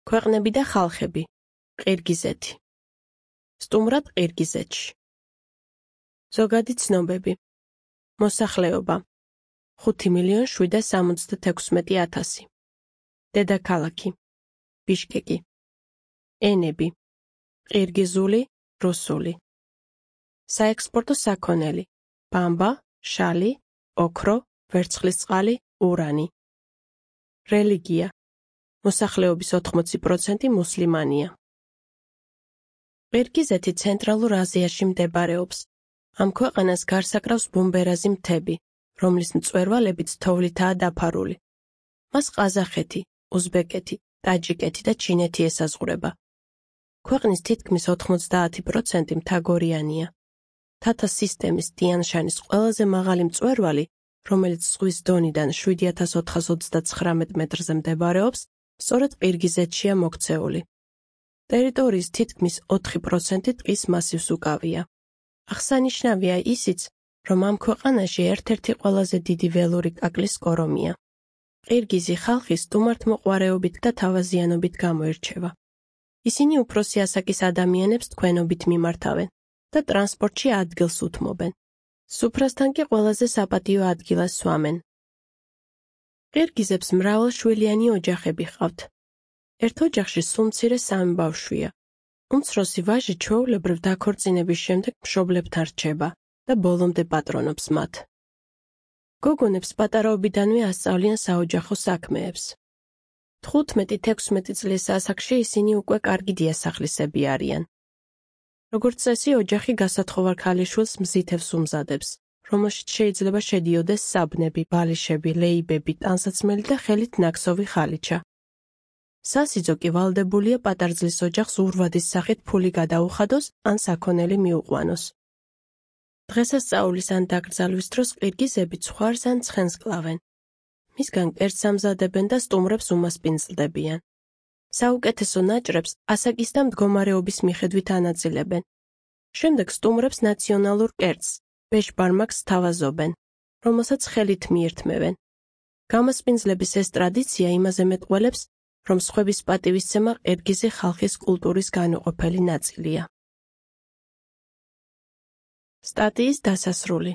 ქვეყნები და ხალხები. ყირგიზეთი. სტუმრად ყირგიზეთში. ზოგადი ცნობები. მოსახლეობა 5,766,000. დედაქალაქი ბიშკეკი. ენები ყირგიზული, რუსული. საექსპორტო საქონელი ბამბა, შალი, ოქრო, ვერცხლისწყალი, ურანი. რელიგია მოსახლეობის 80% მუსლიმანია. ყირგიზეთი ცენტრალურ აზიაში მდებარეობს. ამ ქვეყანას გარს აკრავს ბუმბერაზი მთები, რომლის მწვერვალებიც თოვლითაა დაფარული. მას ყაზახეთი, უზბეკეთი, ტაჯიკეთი და ჩინეთი ესაზღვრება. ქვეყნის თითქმის 90% მთაგორიანია. თათა სისტემის ტიან-შანის ყველაზე მაღალი მწვერვალი, რომელიც ზღვის დონიდან 7439 მეტრზე მდებარეობს, სწორედ ყირგიზეთშია მოქცეული. ტერიტორიის თითქმის 4% ტყის მასივს უკავია. აღსანიშნავია ისიც, რომ ამ ქვეყანაში ერთ-ერთი ყველაზე დიდი ველური კაკლის კორომია. ყირგიზი ხალხი სტუმართმოყვარეობით და თავაზიანობით გამოირჩევა. ისინი უფროსი ასაკის ადამიანებს თქვენობით მიმართავენ და ტრანსპორტში ადგილს უთმობენ. სუფრასთან კი ყველაზე საპატიო ადგილას სვამენ. ყირგიზებს მრავალშვილიანი ოჯახები ჰყავთ. ერთ ოჯახში სულ მცირე 3 ბავშვია. უმცროსი ვაჟი ჩვეულებრივ დაქორწინების შემდეგ მშობლებთან რჩება და ბოლომდე პატრონობს მათ. გოგონებს პატარაობიდანვე ასწავლიან საოჯახო საქმეებს. 15-16 წლის ასაკში ისინი უკვე კარგი დიასახლისები არიან. როგორც წესი, ოჯახი გასათხოვარ ქალიშვილს მზითევს უმზადებს, რომელშიც შეიძლება შედიოდეს საბნები, ბალიშები, ლეიბები, ტანსაცმელი და ხელით ნაქსოვი ხალიჩა. სასიძო კი ვალდებულია პატარძლის ოჯახს ურვადის სახით ფული გადაუხადოს ან საქონელი მიუყვანოს. დღესასწაულის ან დაკრძალვის დროს ყირგიზები ცხვარს ან ცხენს კლავენ. მისგან კერძს ამზადებენ და სტუმრებს უმასპინძლდებიან. საუკეთესო ნაჭრებს ასაკის და მდგომარეობის მიხედვით ანაწილებენ. შემდეგ სტუმრებს ნაციონალურ კერძს, ბეშბარმაკს სთავაზობენ, რომელსაც ხელით მიირთმევენ. გამოსპინძლების ეს ტრადიცია იმაზე მეტყველებს, რომ სხვების პატივისცემა ყირგიზი ხალხის კულტურის განუყოფელი ნაწილია. სტატიის დასასრული.